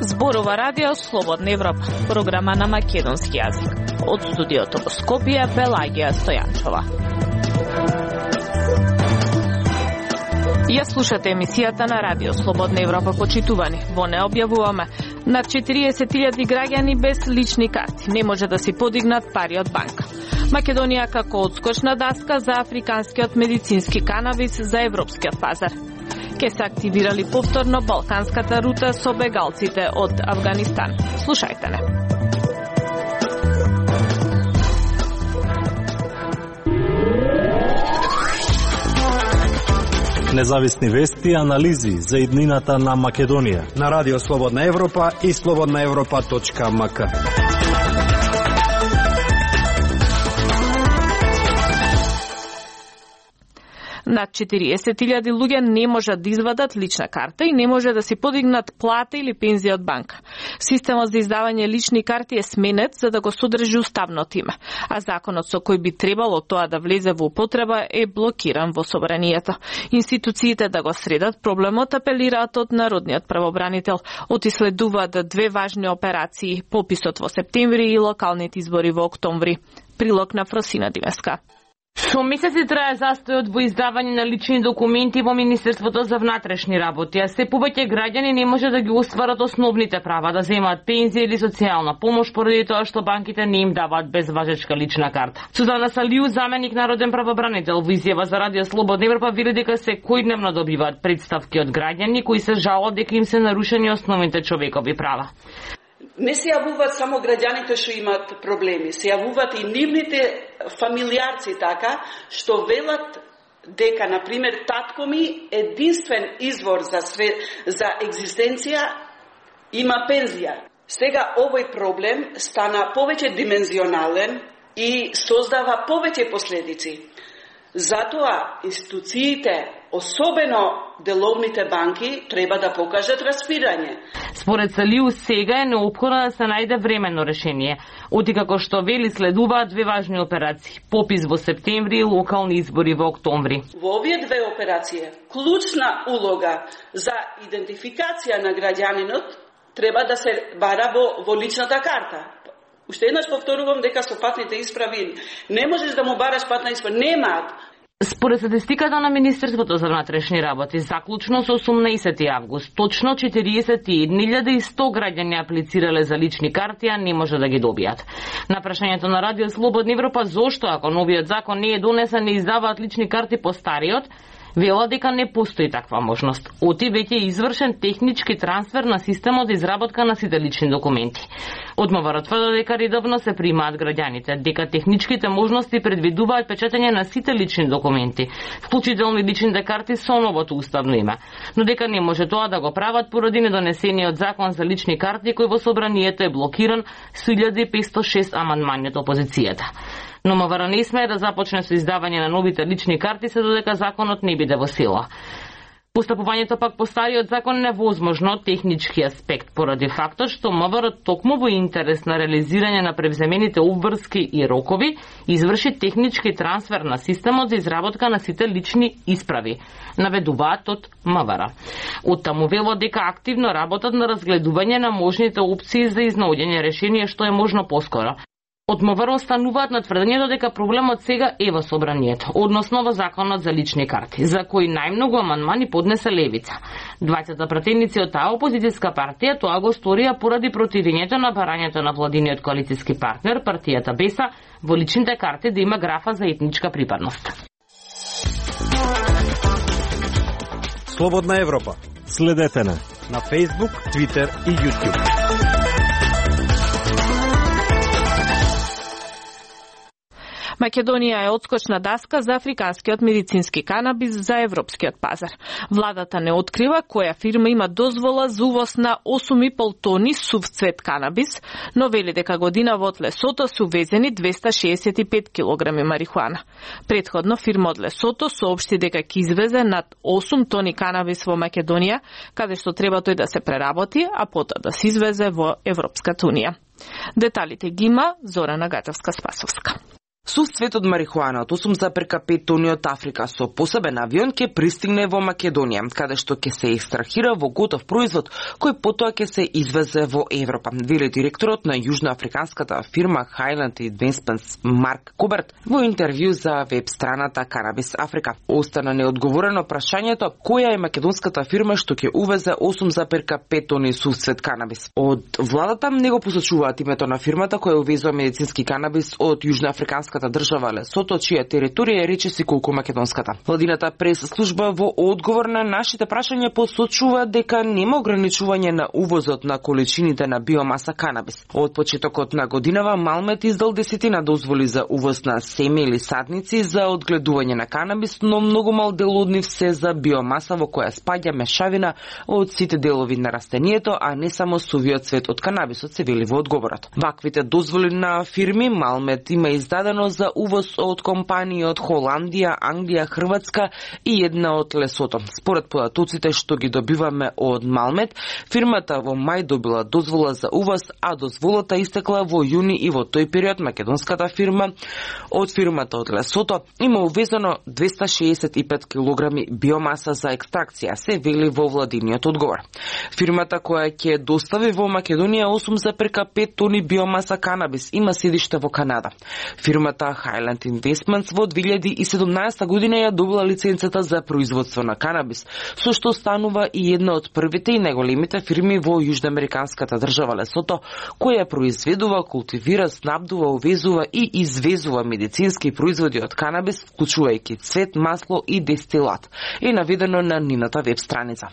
Зборува радио Слободна Европа, програма на македонски јазик. Од студиото во Скопје, Пелагија Стојанчова. Ја слушате емисијата на радио Слободна Европа, почитувани. Во не објавуваме над 40.000 граѓани без лични карти не може да си подигнат пари од банка. Македонија како одскочна даска за африканскиот медицински канабис за европскиот пазар. Ке се активирали повторно балканската рута со бегалците од Авганистан. Слушајте не. Независни вести и анализи за иднината на Македонија на Радио Слободна Европа и slobodnaevropa.mk. Над 40.000 луѓе не можат да извадат лична карта и не може да си подигнат плата или пензија од банка. Системот за издавање лични карти е сменет за да го содржи уставното име, а законот со кој би требало тоа да влезе во употреба е блокиран во собранието. Институциите да го средат проблемот апелираат од народниот правобранител. Отиследуваат две важни операции, пописот во септември и локалните избори во октомври. Прилог на Фросина Димеска. Со месеци трае застојот во издавање на лични документи во Министерството за внатрешни работи, а се повеќе граѓани не може да ги остварат основните права, да земаат пензија или социјална помош поради тоа што банките не им даваат безважечка лична карта. Сузана Салиу, заменик народен правобранител, во изјава за Радио Слободна Европа вели дека секојдневно добиваат претставки од граѓани кои се жалат дека им се нарушени основните човекови права. Не се јавуваат само граѓаните што имаат проблеми, се јавуваат и нивните фамилијарци така, што велат дека, например, татко ми единствен извор за екзистенција има пензија. Сега овој проблем стана повеќе димензионален и создава повеќе последици. Затоа институциите, особено деловните банки, треба да покажат распирање. Според Салиу, сега е неопходно да се најде временно решение. Оти како што вели следуваат две важни операции. Попис во септември и локални избори во октомври. Во овие две операции, клучна улога за идентификација на граѓанинот треба да се бара во личната карта. Уште еднаш повторувам дека со патните исправи не можеш да му бараш патна исправа, немаат. Според статистиката на Министерството за внатрешни работи, заклучно со 18 август, точно 41.100 граѓани аплицирале за лични карти, а не може да ги добијат. На прашањето на Радио Слободна Европа зошто ако новиот закон не е донесен не издаваат лични карти по стариот, вела дека не постои таква можност. Оти веќе е извршен технички трансфер на системот за изработка на сите лични документи. Од МВР тврди дека редовно се примаат граѓаните, дека техничките можности предвидуваат печатење на сите лични документи, вклучително и личните карти со новото уставно име, но дека не може тоа да го прават поради недонесениот закон за лични карти кој во собранието е блокиран со 1506 амандмани од опозицијата. Но МВР не смее да започне со издавање на новите лични карти се додека законот не биде во сила. Постапувањето пак по стариот закон е невозможно од технички аспект, поради фактот што МВР токму во интерес на реализирање на превземените обврски и рокови, изврши технички трансфер на системот за изработка на сите лични исправи, наведуваат од МВР. Од таму велат дека активно работат на разгледување на можните опции за изнаоѓање решение што е можно поскоро. Од МВР остануваат на тврдењето дека проблемот сега е во собранието, односно во законот за лични карти, за кои најмногу амандмани поднесе Левица. Двајцата пратеници од таа опозицијска партија тоа го сторија поради противењето на барањето на владиниот коалицијски партнер, партијата БЕСА, во личните карти да има графа за етничка припадност. Слободна Европа. Следете на Facebook, Twitter и YouTube. Македонија е одскочна даска за африканскиот медицински канабис за европскиот пазар. Владата не открива која фирма има дозвола за увоз на 8,5 тони сув цвет канабис, но вели дека година во Лесото се увезени 265 килограми марихуана. Претходно фирма од Лесото соопшти дека ќе извезе над 8 тони канабис во Македонија, каде што треба тој да се преработи, а потоа да се извезе во Европската унија. Деталите ги има Зорана Гатевска-Спасовска. Сувствет од марихуана од 8,5 тони од Африка со посебен авион ќе пристигне во Македонија, каде што ќе се екстрахира во готов производ кој потоа ќе се извезе во Европа, вели директорот на јужноафриканската фирма Highland Investments Марк Куберт во интервју за веб страната Cannabis Africa. Остана неодговорено прашањето која е македонската фирма што ќе увезе 8,5 тони сувствет канабис. Од владата не го посочуваат името на фирмата која увезува медицински канабис од јужноафриканската држава Лесото, чија територија е речиси колку македонската. Владината прес-служба во одговор на нашите прашања посочува дека нема ограничување на увозот на количините на биомаса канабис. Од почетокот на годинава Малмет издал 10 дозволи за увоз на семе или садници за одгледување на канабис, но многу мал дел од нив се за биомаса во која спаѓа мешавина од сите делови на растението, а не само сувиот цвет од канабисот, се вели во одговорот. Ваквите дозволи на фирми Малмет има издадено за увоз од компании од Холандија, Англија, Хрватска и една од Лесото. Според податоците што ги добиваме од Малмет, фирмата во мај добила дозвола за увоз, а дозволата истекла во јуни и во тој период македонската фирма од фирмата од Лесото има увезено 265 килограми биомаса за екстракција, се вели во владиниот одговор. Фирмата која ќе достави во Македонија 8,5 тони биомаса канабис има седиште во Канада. Фирмата Highland Investments во 2017 година ја добила лиценцата за производство на канабис, со што станува и една од првите и најголемите фирми во јужноамериканската држава Лесото, која произведува, култивира, снабдува, увезува и извезува медицински производи од канабис, вклучувајќи цвет, масло и дестилат, е наведено на нината веб страница.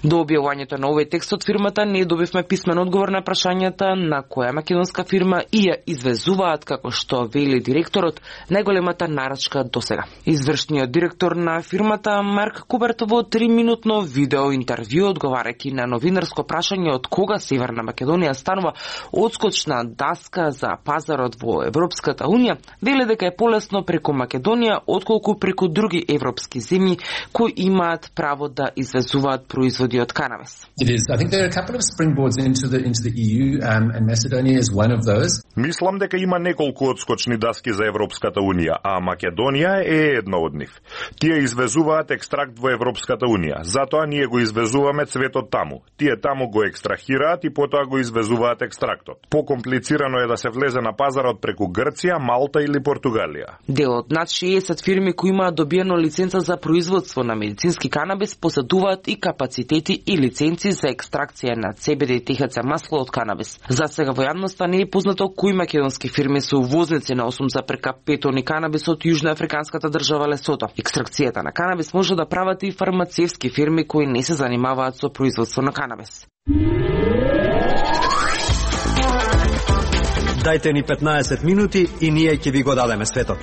До објавувањето на овој текст од фирмата не добивме писмен одговор на прашањата на која македонска фирма и ја извезуваат, како што вели директорот, најголемата нарачка досега. Извршниот директор на фирмата Марк Куберт во 3-минутно видео интервју одговарајќи на новинарско прашање од кога Северна Македонија станува одскочна даска за пазарот во Европската унија, вели дека е полесно преку Македонија отколку преку други европски земји кои имаат право да извезуваат производи од канабис. It is. I think there are a couple of springboards into the EU, and Macedonia is one of those. Мислам дека има неколку одскочни даски за Европската унија, а Македонија е една од нив. Тие извезуваат екстракт во Европската унија, затоа ние го извезуваме цветот таму. Тие таму го екстрахираат и потоа го извезуваат екстрактот. Покомплицирано е да се влезе на пазарот преку Грција, Малта или Португалија. Дел од над 60 фирми кои имаат добиено лиценца за производство на медицински канабис поседуваат и капацитети и лиценци за екстракција на CBD и THC масло од канабис. За сега во јавноста не е познато кои македонски фирми се увозници на 8,5 тони канабис од јужноафриканската држава Лесото. Екстракцијата на канабис може да прават и фармацевски фирми кои не се занимаваат со производство на канабис. Дајте ни 15 минути и ние ќе ви го дадеме светот.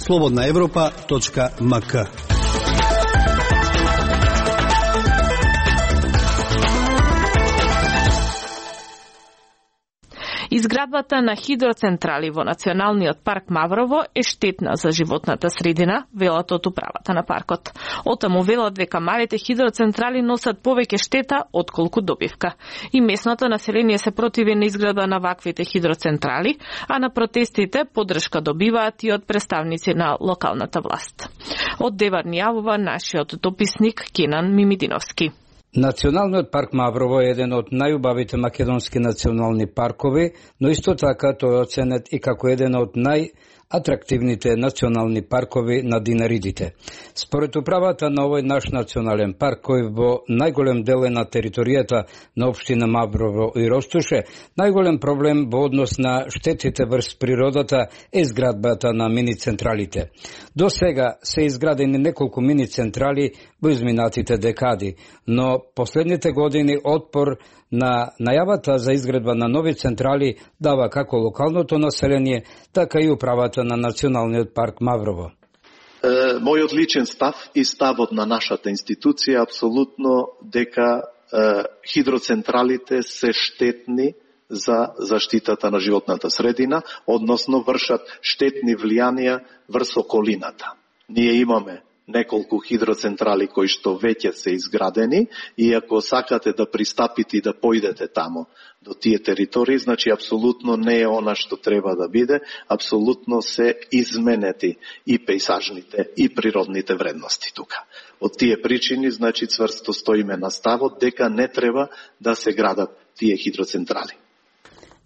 slobodnaevropa.mk. Изградбата на хидроцентрали во Националниот парк Маврово е штетна за животната средина, велат од управата на паркот. Отаму велат дека малите хидроцентрали носат повеќе штета отколку добивка. И местното население се противи на изградба на ваквите хидроцентрали, а на протестите поддршка добиваат и од представници на локалната власт. Од Девар ни јавува нашиот дописник Кенан Мимидиновски. Националниот парк Маврово е еден од најубавите македонски национални паркови, но исто така тој е оценет и како еден од најатрактивните национални паркови на динаридите. Според управата на овој наш национален парк, кој во најголем дел е на територијата на општина Маврово и Ростуше, најголем проблем во однос на штетите врз природата е изградбата на мини-централите. До сега се изградени неколку мини-централи во изминатите декади, но последните години отпор на најавата за изградба на нови централи дава како локалното население, така и управата на Националниот парк Маврово. Мојот личен став и ставот на нашата институција е апсолутно дека хидроцентралите се штетни за заштитата на животната средина, односно вршат штетни влијанија врз околината. Ние имаме неколку хидроцентрали кои што веќе се изградени и ако сакате да пристапите и да појдете тамо до тие територии, значи апсолутно не е она што треба да биде, апсолутно се изменети и пејсажните и природните вредности тука. Од тие причини, значи цврсто стоиме на ставот дека не треба да се градат тие хидроцентрали.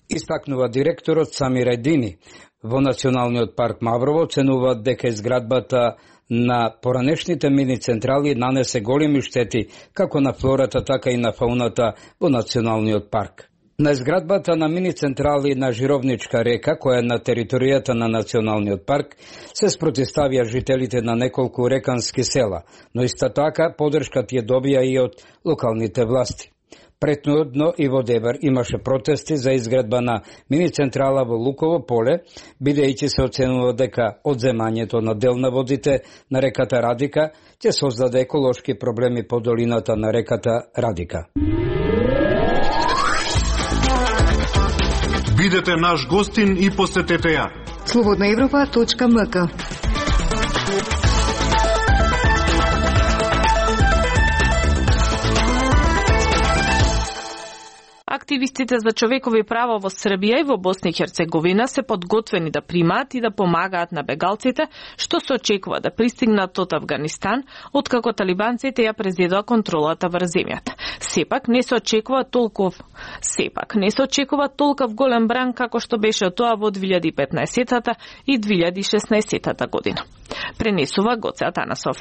Истакнува директорот Самир Едини. Во Националниот парк Маврово оценуваат дека изградбата на поранешните мини централи нанесе големи штети како на флората, така и на фауната во Националниот парк. На изградбата на мини централи на Жировничка река, која е на територијата на Националниот парк, се спротивставија жителите на неколку рекански села, но исто така поддршка тие добија и од локалните власти. Претходно и во Дебар имаше протести за изградба на мини централа во Луково поле, бидејќи се оценува дека одземањето на дел на водите на реката Радика ќе создаде еколошки проблеми по долината на реката Радика. Бидете наш гостин и посетете ја. slobodnaevropa.mk. Активистите за човекови права во Србија и во Босна и Херцеговина се подготвени да примаат и да помагаат на бегалците, што се очекува да пристигнат од Авганистан, откако талибанците ја презедоа контролата врз земјата. Сепак не се очекува толков голем бран како што беше тоа во 2015 и 2016 година. Пренесува Гоце Атанасов.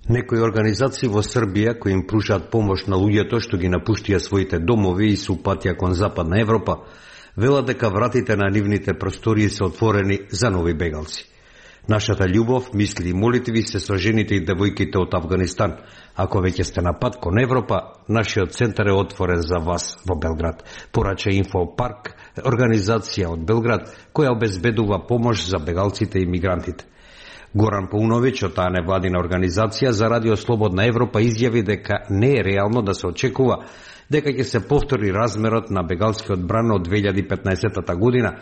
Некои организации во Србија кои им пружаат помош на луѓето што ги напуштија своите домови и се упатија кон Западна Европа, велат дека вратите на нивните простории се отворени за нови бегалци. Нашата љубов, мисли и молитви се со жените и девојките од Авганистан. Ако веќе сте на пат кон Европа, нашиот центар е отворен за вас во Белград. Порача Инфопарк, организација од Белград која обезбедува помош за бегалците и мигрантите. Горан Пауновиќ од таа невладина организација за Радио Слободна Европа изјави дека не е реално да се очекува дека ќе се повтори размерот на бегалскиот бран од 2015 година,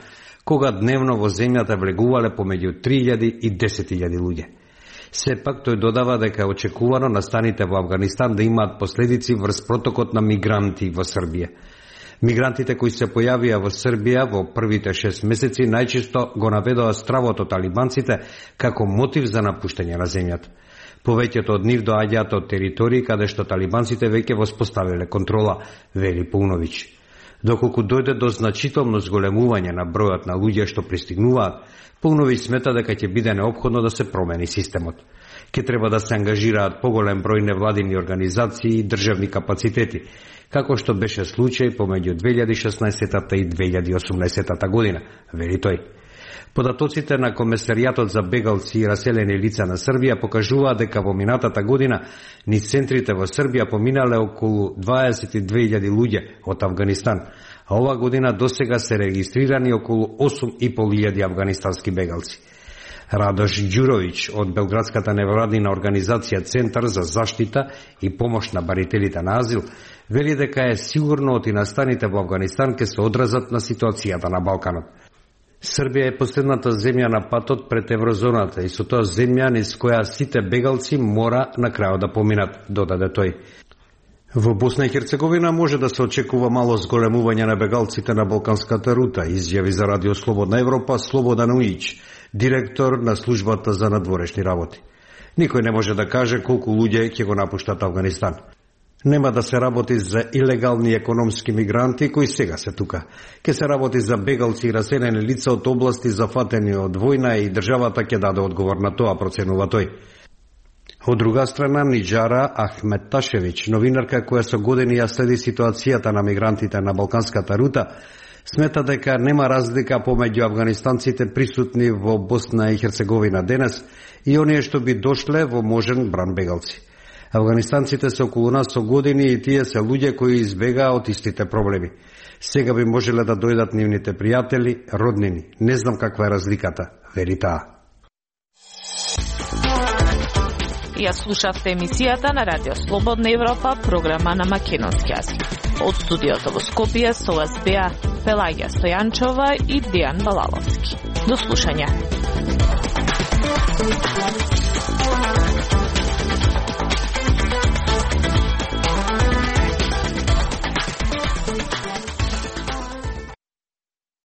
кога дневно во земјата влегувале помеѓу 3000 и 10.000 луѓе. Сепак тој додава дека е очекувано настаните во Авганистан да имаат последици врз протокот на мигранти во Србија. Мигрантите кои се појавија во Србија во првите 6 месеци најчесто го наведоа стравот од талибанците како мотив за напуштање на земјата. Повеќето од нив доаѓаат од територии каде што талибанците веќе воспоставиле контрола, вели Пауновиќ. Доколку дојде до значително зголемување на бројот на луѓе што пристигнуваат, Пауновиќ смета дека ќе биде неопходно да се промени системот. Ке треба да се ангажираат поголем број невладини организации и државни капацитети, како што беше случај помеѓу 2016 и 2018 година, вели тој. Податоците на Комесаријатот за бегалци и раселени лица на Србија покажуваат дека во минатата година низ центрите во Србија поминале околу 22.000 луѓе од Авганистан, а ова година досега се регистрирани околу 8.500 афганистански бегалци. Радош Ѓуровиќ од Белградската невладина организација Центар за заштита и помош на барителите на азил вели дека е сигурно од и настаните во Авганистан ќе се одразат на ситуацијата на Балканот. Србија е последната земја на патот пред еврозоната и со тоа земја низ која сите бегалци мора на крајот да поминат, додаде тој. Во Босна и Херцеговина може да се очекува мало зголемување на бегалците на Балканската рута, изјави за Радио Слободна Европа Слободан Уиќ, директор на службата за надворешни работи. Никој не може да каже колку луѓе ќе го напуштат Авганистан. Нема да се работи за илегални економски мигранти кои сега се тука. Ке се работи за бегалци и раселени лица од области зафатени од војна и државата ќе даде одговор на тоа, проценува тој. Од друга страна, Ниџара Ахметташевиќ, новинарка која со години ја следи ситуацијата на мигрантите на Балканската рута, смета дека нема разлика помеѓу афганистанците присутни во Босна и Херцеговина денес и оние што би дошле во можен бран бегалци. Афганистанците се околу нас со години и тие се луѓе кои избегаа од истите проблеми. Сега би можеле да дојдат нивните пријатели, роднини. Не знам каква е разликата, вели таа. Ја слушавте емисијата на Радио Слободна Европа, програма на македонски јазик. Од студиото во Скопје со вас беа Пелагија Стојанчова и Дејан Балаловски. До слушање.